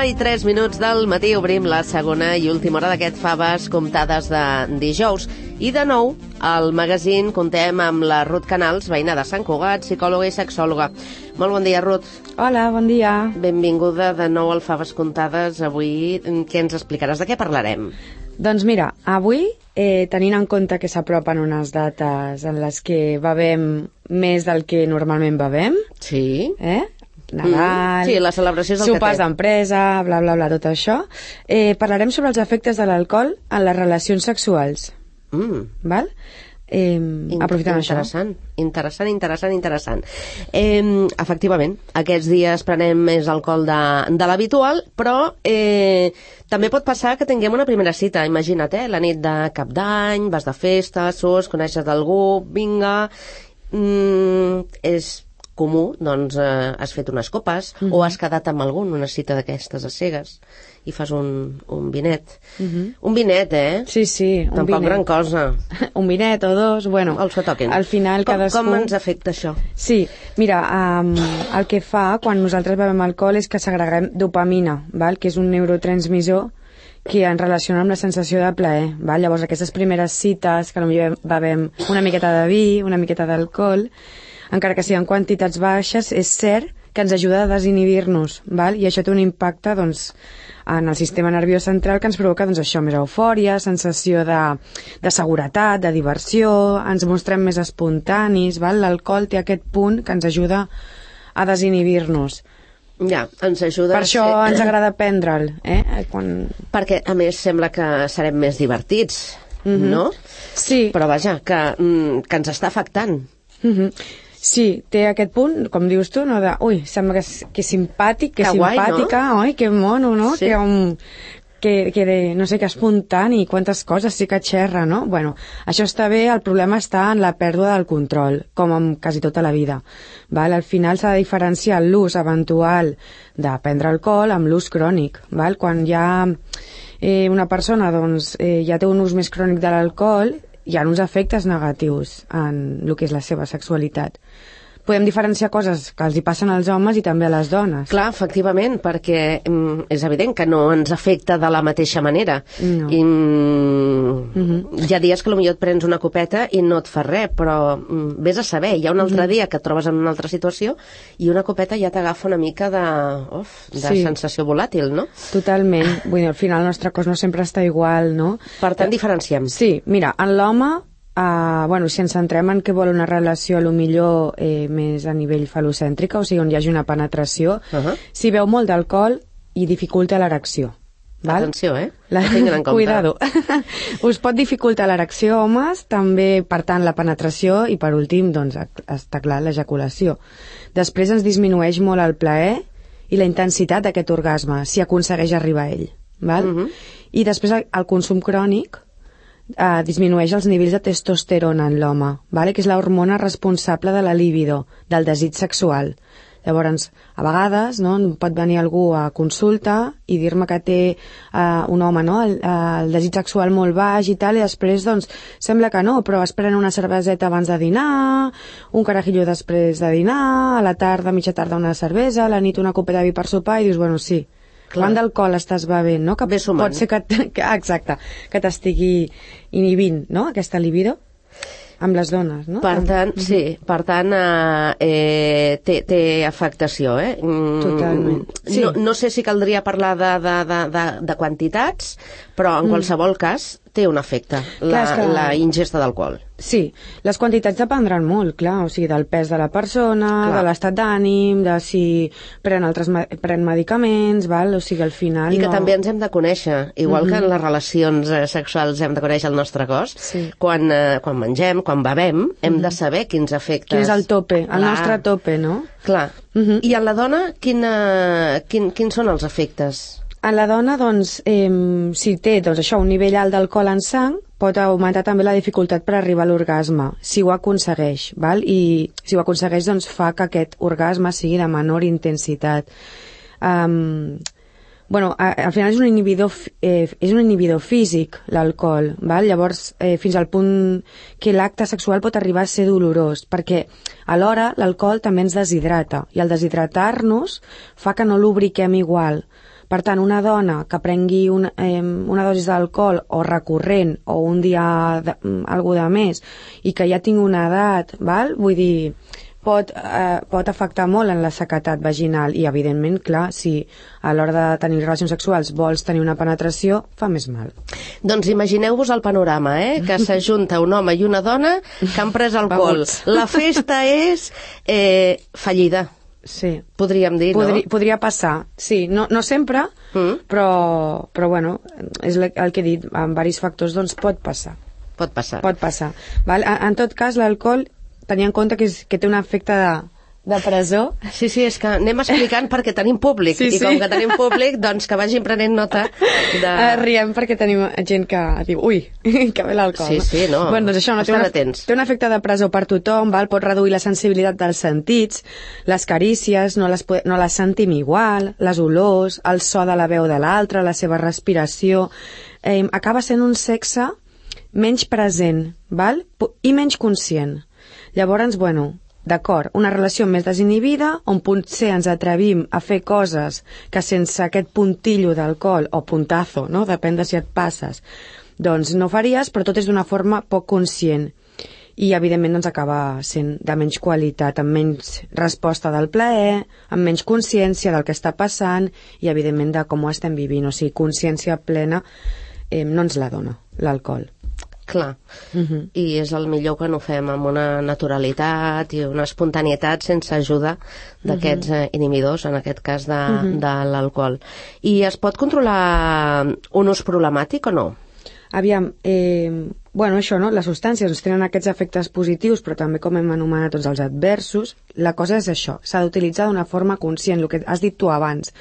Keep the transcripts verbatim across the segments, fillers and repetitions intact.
i tres minuts del matí obrim la segona i última hora d'aquest Faves comptades de dijous. I de nou, al magazín contem amb la Ruth Canals, veïna de Sant Cugat, psicòloga i sexòloga. Molt bon dia, Ruth. Hola, bon dia. Benvinguda de nou al Faves comptades. Avui què ens explicaràs? De què parlarem? Doncs mira, avui, eh, tenint en compte que s'apropen unes dates en les que bevem més del que normalment bevem, sí. eh? Nadal, mm, sí, la celebració és el sopars que té. d'empresa, bla, bla, bla, tot això, eh, parlarem sobre els efectes de l'alcohol en les relacions sexuals. Mm. Val? Eh, aprofitem això. Interessant, interessant, interessant, interessant. Eh, efectivament, aquests dies prenem més alcohol de, de l'habitual, però eh, també pot passar que tinguem una primera cita. Imagina't, eh, la nit de cap d'any, vas de festa, surts, coneixes d'algú, vinga, mm, és comú, doncs eh, has fet unes copes uh -huh. o has quedat amb algú en una cita d'aquestes a cegues i fas un, un vinet. Uh -huh. Un vinet, eh? Sí, sí, un Tampoc vinet. gran cosa. Un vinet o dos, bueno, els que toquin. Al final com, cadascú... Com ens afecta això? Sí, mira, um, el que fa quan nosaltres bevem alcohol és que segreguem dopamina, val? Que és un neurotransmissor que ens relaciona amb la sensació de plaer. Val? Llavors, aquestes primeres cites, que potser bevem una miqueta de vi, una miqueta d'alcohol, encara que siguin quantitats baixes, és cert que ens ajuda a desinhibir-nos, val? I això té un impacte doncs, en el sistema nerviós central que ens provoca doncs, això, més eufòria, sensació de, de seguretat, de diversió, ens mostrem més espontanis, val? L'alcohol té aquest punt que ens ajuda a desinhibir-nos. Ja, ens ajuda... Per això ser... ens agrada prendre'l, eh? Quan... Perquè, a més, sembla que serem més divertits, mm-hmm. no? Sí. Però vaja, que, mm, que ens està afectant. Mm-hmm. Sí, té aquest punt, com dius tu, no, de, ui, sembla que és, que és simpàtic, que, que simpàtica, guai, no? oi, que mono, no? Sí. Que, um, que, que de, no sé, que espontani, quantes coses, sí que xerra, no? Bueno, això està bé, el problema està en la pèrdua del control, com en quasi tota la vida. Val? Al final s'ha de diferenciar l'ús eventual de prendre alcohol amb l'ús crònic. Val? Quan ja eh, una persona doncs, eh, ja té un ús més crònic de l'alcohol, hi ha uns efectes negatius en el que és la seva sexualitat. Podem diferenciar coses que els hi passen als homes i també a les dones. Clar, efectivament, perquè mm, és evident que no ens afecta de la mateixa manera. No. I, mm, mm-hmm. Hi ha dies que potser et prens una copeta i no et fa res, però mm, vés a saber, hi ha un altre mm-hmm. dia que et trobes en una altra situació i una copeta ja t'agafa una mica de, uf, de sí. sensació volàtil, no? Totalment. Vull dir, al final el nostre cos no sempre està igual, no? Per tant, diferenciem. Sí, mira, en l'home, Uh, bueno, si ens centrem en què vol una relació a lo millor eh, més a nivell falocèntrica, o sigui, on hi hagi una penetració, uh-huh. si beu molt d'alcohol i dificulta l'erecció. Val? Atenció, eh? La... en Cuidado. Us pot dificultar l'erecció, homes, també, per tant, la penetració i, per últim, doncs, està clar, l'ejaculació. Després ens disminueix molt el plaer i la intensitat d'aquest orgasme, si aconsegueix arribar a ell. Val? Uh-huh. I després el, el consum crònic Uh, disminueix els nivells de testosterona en l'home, vale? Que és l'hormona responsable de la libido, del desig sexual. Llavors, a vegades, no, pot venir algú a consulta i dir-me que té uh, un home, no, el, uh, el desig sexual molt baix i tal, i després, doncs, sembla que no, però es pren una cerveseta abans de dinar, un carajillo després de dinar, a la tarda, a mitja tarda una cervesa, a la nit una copeta de vi per sopar, i dius, bueno, sí, quant d'alcohol estàs bevent, no? Que pot ser que, que, exacte, que t'estigui inhibint, no?, aquesta libido amb les dones, no? Per tant, mm-hmm. sí, per tant, eh, té, té afectació, eh? Mm, totalment. Sí. No, no sé si caldria parlar de, de, de, de, de quantitats, però en mm. qualsevol cas té un efecte, la, clar, la ingesta d'alcohol. Sí, les quantitats dependran molt, clar, o sigui, del pes de la persona, clar. De l'estat d'ànim, de si pren altres pren medicaments, val? O sigui, al final... I que no... també ens hem de conèixer, igual mm-hmm. que en les relacions eh, sexuals hem de conèixer el nostre cos, sí. quan, eh, quan mengem, quan bevem, hem mm-hmm. de saber quins efectes... Quin és el tope, el clar. Nostre tope, no? Clar. Mm-hmm. I en la dona, quina, quin, quins són els efectes? En la dona, doncs, eh, si té doncs, això, un nivell alt d'alcohol en sang, pot augmentar també la dificultat per arribar a l'orgasme, si ho aconsegueix, val? I si ho aconsegueix, doncs fa que aquest orgasme sigui de menor intensitat. Um, bueno, a, al final és un inhibidor, eh, és un inhibidor físic, l'alcohol, val? Llavors, eh, fins al punt que l'acte sexual pot arribar a ser dolorós, perquè alhora l'alcohol també ens deshidrata, i al deshidratar-nos fa que no lubriquem igual. Per tant, una dona que prengui una, eh, una dosi d'alcohol o recurrent o un dia de, algú de més i que ja tingui una edat, val? Vull dir, pot, eh, pot afectar molt en la sequedat vaginal i, evidentment, clar, si a l'hora de tenir relacions sexuals vols tenir una penetració, fa més mal. Doncs imagineu-vos el panorama, eh? Que s'ajunta un home i una dona que han pres alcohol. La festa és eh, fallida. Sí. Podríem dir, Podri, no? Podria passar, sí. No, no sempre, mm. però, però bueno, és el que he dit, amb diversos factors, doncs pot passar. Pot passar. Pot passar. Val? En, en tot cas, l'alcohol, tenia en compte que, és, que té un efecte de, de presó. Sí, sí, és que anem explicant perquè tenim públic, sí, sí. I com que tenim públic, doncs que vagin prenent nota de... Uh, riem perquè tenim gent que diu, ui, que bé l'alcohol. Sí, sí, no. Bueno, doncs això, no, té, una, té un efecte de presó per tothom, val? Pot reduir la sensibilitat dels sentits, les carícies, no les, no les sentim igual, les olors, el so de la veu de l'altre, la seva respiració... Eh, acaba sent un sexe menys present, val? I menys conscient. Llavors, bueno... D'acord, una relació més desinhibida, on potser ens atrevim a fer coses que sense aquest puntillo d'alcohol, o puntazo, no? Depèn de si et passes, doncs no faries, però tot és d'una forma poc conscient. I, evidentment, doncs acaba sent de menys qualitat, amb menys resposta del plaer, amb menys consciència del que està passant i, evidentment, de com ho estem vivint. O sigui, consciència plena eh, no ens la dona l'alcohol. Clar, uh-huh. I és el millor que no fem amb una naturalitat i una espontanietat sense ajuda d'aquests uh-huh. eh, inhibidors, en aquest cas de, uh-huh. de l'alcohol. I es pot controlar un ús problemàtic o no? Aviam, eh, bueno, això, no? Les substàncies doncs, tenen aquests efectes positius, però també, com hem anomenat, tots els adversos. La cosa és això, s'ha d'utilitzar d'una forma conscient, el que has dit tu abans.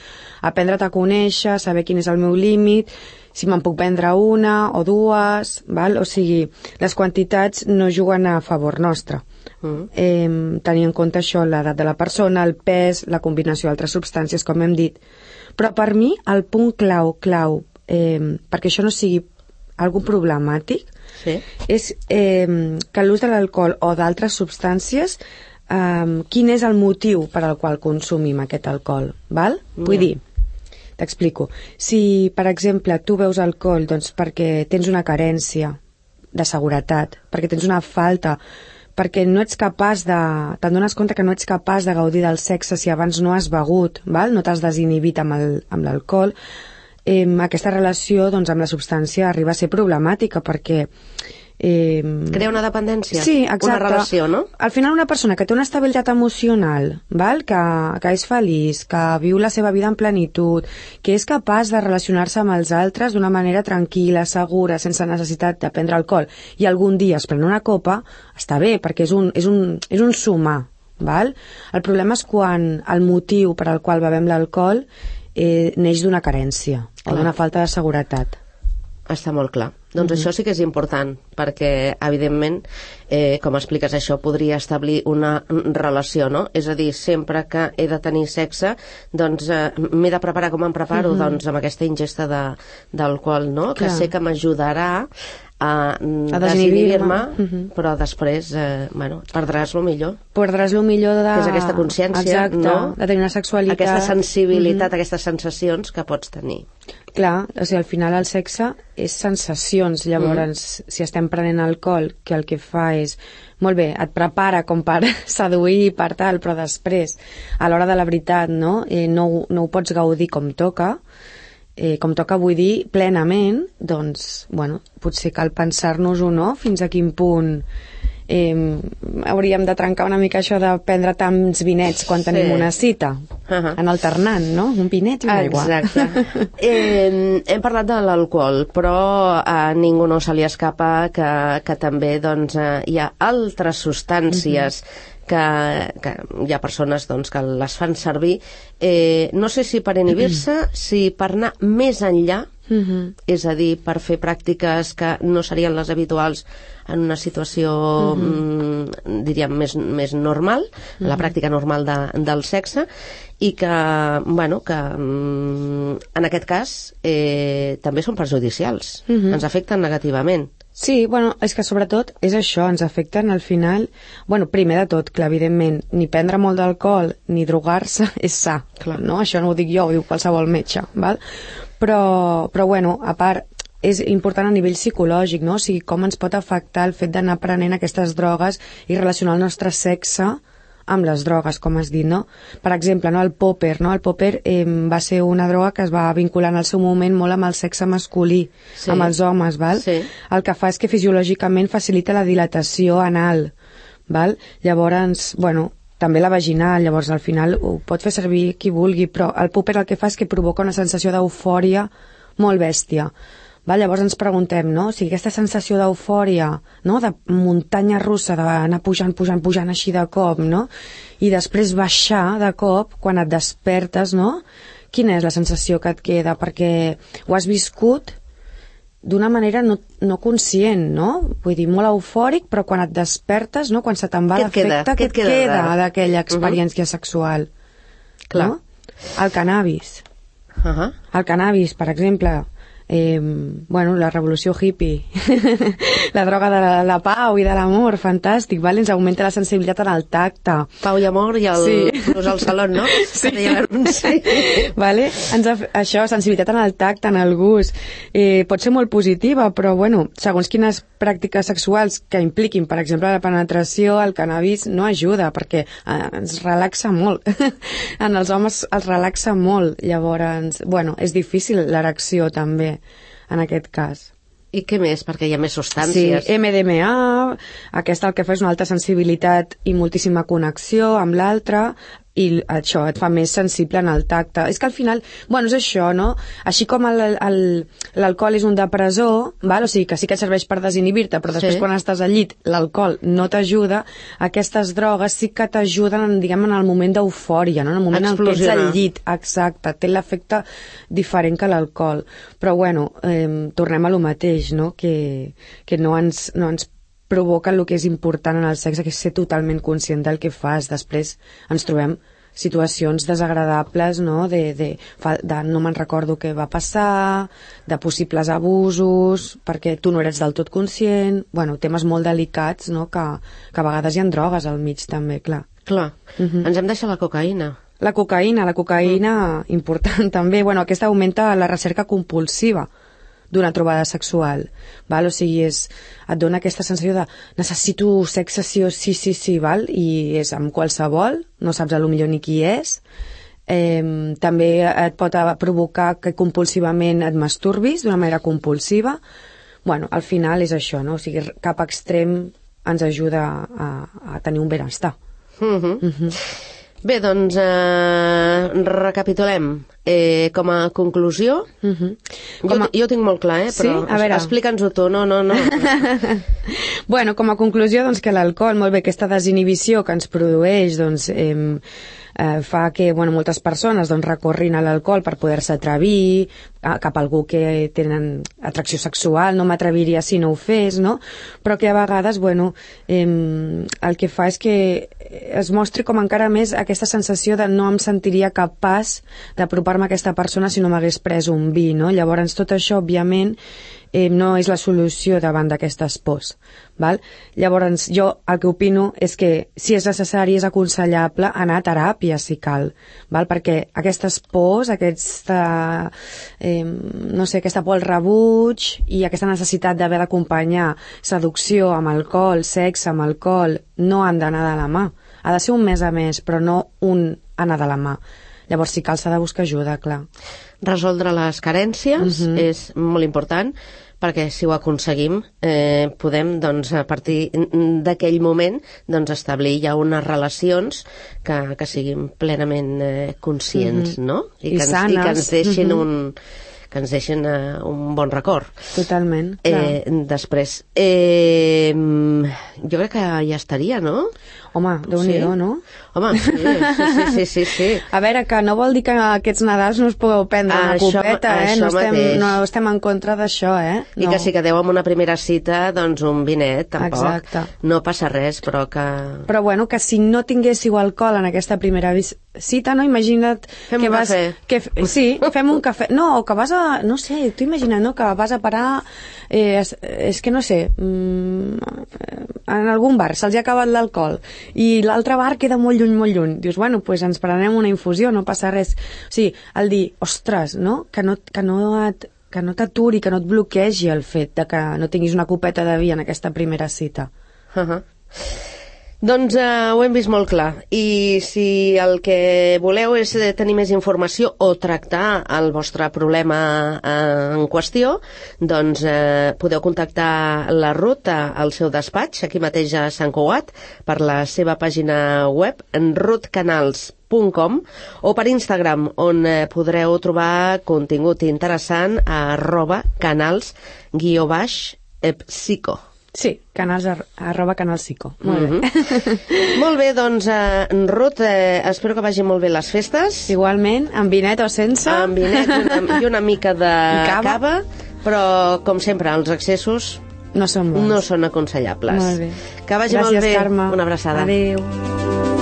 Aprendre't a conèixer, saber quin és el meu límit, si me'n puc prendre una o dues, val? O sigui, les quantitats no juguen a favor nostre. Mm. Eh, tenir en compte això, l'edat de la persona, el pes, la combinació d'altres substàncies, com hem dit. Però per mi, el punt clau, clau, eh, perquè això no sigui algun problemàtic, sí. és eh, que l'ús de l'alcohol o d'altres substàncies, eh, quin és el motiu per al qual consumim aquest alcohol, val? Mm. Vull dir, t'explico. Si, per exemple, tu veus alcohol doncs, perquè tens una carència de seguretat, perquè tens una falta, perquè no ets capaç de... Te'n dones compte que no ets capaç de gaudir del sexe si abans no has begut, val? No t'has desinhibit amb el, amb l'alcohol, eh, aquesta relació doncs, amb la substància arriba a ser problemàtica perquè... Eh, crea una dependència, sí, exacte. Una relació, no? Al final una persona que té una estabilitat emocional, val? Que, que és feliç, que viu la seva vida en plenitud, que és capaç de relacionar-se amb els altres d'una manera tranquil·la, segura, sense necessitat de prendre alcohol, i algun dia es pren una copa, està bé, perquè és un, és un, és un sumar, val? El problema és quan el motiu per al qual bevem l'alcohol eh, neix d'una carència o d'una falta de seguretat. Està molt clar. Doncs mm-hmm. això sí que és important, perquè, evidentment, eh, com expliques això, podria establir una relació, no? És a dir, sempre que he de tenir sexe, doncs eh, m'he de preparar com em preparo, mm-hmm. doncs amb aquesta ingesta de, d'alcohol, no? Clar. Que sé que m'ajudarà a, a desinhibir-me, mm-hmm. però després, eh, bueno, perdràs lo millor. Perdràs lo millor de... Que és aquesta consciència, exacte, no? De tenir una sexualitat... Aquesta sensibilitat, mm-hmm. aquestes sensacions que pots tenir. Clar, o sigui, al final el sexe és sensacions, llavors mm. si estem prenent alcohol, que el que fa és, molt bé, et prepara com per seduir per tal, però després, a l'hora de la veritat, no, eh, no, no ho pots gaudir com toca, eh, com toca vull dir plenament, doncs, bueno, potser cal pensar-nos-ho, no?, fins a quin punt eh, hauríem de trencar una mica això de prendre tants vinets quan sí. tenim una cita, uh-huh. en alternant, no?, un vinet i una aigua. Exacte. eh, hem parlat de l'alcohol, però a ningú no se li escapa que, que també doncs, eh, hi ha altres substàncies uh-huh. que, que hi ha persones doncs, que les fan servir, eh, no sé si per inhibir-se, uh-huh. si per anar més enllà, uh-huh. és a dir, per fer pràctiques que no serien les habituals en una situació, uh-huh. mm, diríem, més, més normal, uh-huh. la pràctica normal de, del sexe, i que, bueno, que mm, en aquest cas eh, també són perjudicials, uh-huh. ens afecten negativament. Sí, bueno, és que sobretot és això, ens afecten al final... Bueno, primer de tot, clar, evidentment, ni prendre molt d'alcohol ni drogar-se és sa, clar, no? Això no ho dic jo, ho diu qualsevol metge, val? Però, però bueno, a part, és important a nivell psicològic, no? O sigui, com ens pot afectar el fet d'anar prenent aquestes drogues i relacionar el nostre sexe amb les drogues, com has dit, no? Per exemple, no, el popper, no? El popper eh, va ser una droga que es va vincular en el seu moment molt amb el sexe masculí, sí. amb els homes, val? Sí. El que fa és que fisiològicament facilita la dilatació anal, val? Llavors, bueno, també la vaginal, llavors al final ho pot fer servir qui vulgui, però el popper el que fa és que provoca una sensació d'eufòria molt bèstia. Val? Llavors ens preguntem, no? O sigui, aquesta sensació d'eufòria, no? De muntanya russa, d'anar pujant, pujant, pujant així de cop, no? I després baixar de cop, quan et despertes, no? Quina és la sensació que et queda? Perquè ho has viscut d'una manera no, no conscient, no? Vull dir, molt eufòric, però quan et despertes, no? Quan se te'n va l'efecte, què et queda, queda d'aquella experiència uh -huh. sexual? Clar. No? El cannabis. Uh -huh. El cannabis, per exemple... Eh, bueno, la revolució hippie la droga de la, la pau i de l'amor, fantàstic, vale? Ens augmenta la sensibilitat en el tacte, pau i amor i el sí. plus al saló, no? Sí. Sí. Vale? Ens ha, això, sensibilitat en el tacte, en el gust, eh, pot ser molt positiva, però bueno, segons quines pràctiques sexuals que impliquin, per exemple la penetració, el cannabis no ajuda perquè eh, ens relaxa molt en els homes els relaxa molt, llavors bueno, és difícil l'erecció també en aquest cas. I què més? Perquè hi ha més substàncies. Sí, M D M A, aquesta el que fa és una alta sensibilitat i moltíssima connexió amb l'altre, i això et fa més sensible en el tacte. És que al final, bueno, és això, no? Així com l'alcohol és un depressor, val? O sigui que sí que serveix per desinhibir-te, però després sí. Quan estàs al llit l'alcohol no t'ajuda, aquestes drogues sí que t'ajuden, diguem, en el moment d'eufòria, no? En el moment en què ets al llit, exacte, té l'efecte diferent que l'alcohol. Però bueno, eh, tornem a lo mateix, no? Que, que no ens, no ens provoca el que és important en el sexe, que és ser totalment conscient del que fas. Després ens trobem situacions desagradables, no? De, de, de no me'n recordo què va passar, de possibles abusos, perquè tu no eres del tot conscient, bueno, temes molt delicats, no? Que, que a vegades hi ha drogues al mig també, clar. Clar, uh -huh. Ens hem deixat la cocaïna. La cocaïna, la cocaïna, mm. important també, bueno, aquesta augmenta la recerca compulsiva d'una trobada sexual, val? O sigui, és, et dona aquesta sensació de necessito sexe sí o sí, sí, sí, val? I és amb qualsevol, no saps a lo millor ni qui és. Eh, també et pot provocar que compulsivament et masturbis d'una manera compulsiva. Bueno, al final és això, no? O sigui, cap extrem ens ajuda a, a tenir un benestar. Uh-huh. Uh-huh. Bé, doncs eh, recapitulem. Eh, com a conclusió, uh-huh. com a... jo, jo ho tinc molt clar, eh? Però sí? Explica'ns-ho tu, no, no, no. Bueno, com a conclusió, doncs que l'alcohol, molt bé, aquesta desinhibició que ens produeix, doncs, eh, eh, fa que, bueno, moltes persones doncs, recorrin a l'alcohol per poder-se atrevir a, cap a algú que tenen atracció sexual, no m'atreviria si no ho fes, no? Però que a vegades, bueno, eh, el que fa és que es mostri com encara més aquesta sensació de no em sentiria capaç d'apropar-me a aquesta persona si no m'hagués pres un vi, no? Llavors tot això, òbviament, eh, no és la solució davant d'aquestes pors, val? Llavors jo el que opino és que si és necessari, és aconsellable anar a teràpia si cal, val? Perquè aquestes pors, aquesta eh, no sé, aquesta por al rebuig i aquesta necessitat d'haver d'acompanyar seducció amb alcohol, sexe amb alcohol, no han d'anar de la mà. Ha de ser un mes a més, però no un anar de la mà. Llavors, si cal, s'ha de buscar ajuda, clar. Resoldre les carències uh-huh. és molt important, perquè si ho aconseguim eh, podem, doncs, a partir d'aquell moment, doncs, establir ja unes relacions que, que siguin plenament eh, conscients, uh-huh. no? I, I que ens, sanes. I que ens deixin uh-huh. un... que ens deixin uh, un bon record. Totalment, clar. Eh, després, eh, jo crec que ja estaria, no? Home, Déu-n'hi-do, sí. no? Home, sí, sí, sí, sí, sí. A veure, que no vol dir que aquests Nadals no us pugueu prendre una això, copeta, eh? No estem, no estem en contra d'això, eh? I no. que si quedeu amb una primera cita, doncs un vinet, tampoc. Exacte. No passa res, però que... Però bueno, que si no tinguéssiu alcohol en aquesta primera cita, no? Imagina't Fem que un vas... cafè. Que, sí, fem un cafè. No, o que vas a... No sé, t'ho imagina't, no? Que vas a parar... Eh, és, és que no sé... Mm, en algun bar se'ls ha acabat l'alcohol i l'altre bar queda molt lluny, molt lluny. Dius, bueno, doncs pues ens prenem una infusió, no passa res. O sigui, el dir, ostres, no? Que no, que no et que no t'aturi, que no et bloquegi el fet de que no tinguis una copeta de vi en aquesta primera cita. Uh -huh. Doncs uh, ho hem vist molt clar. I si el que voleu és tenir més informació o tractar el vostre problema uh, en qüestió, doncs uh, podeu contactar la Ruth al seu despatx, aquí mateix a Sant Cugat, per la seva pàgina web, en ruth canals punt com, o per Instagram, on eh, podreu trobar contingut interessant a arroba canals guió baix psico. Sí, canals ar arroba canalsico. Molt Mm-hmm. bé. Molt bé, doncs, eh, Ruth, eh, espero que vagin molt bé les festes. Igualment, amb vinet o sense. Amb vinet i una, i una mica de cava. cava, però, com sempre, els excessos No són bons. no són aconsellables. Molt bé. Que vagi Gràcies, molt bé. Carme. Una abraçada. Adéu.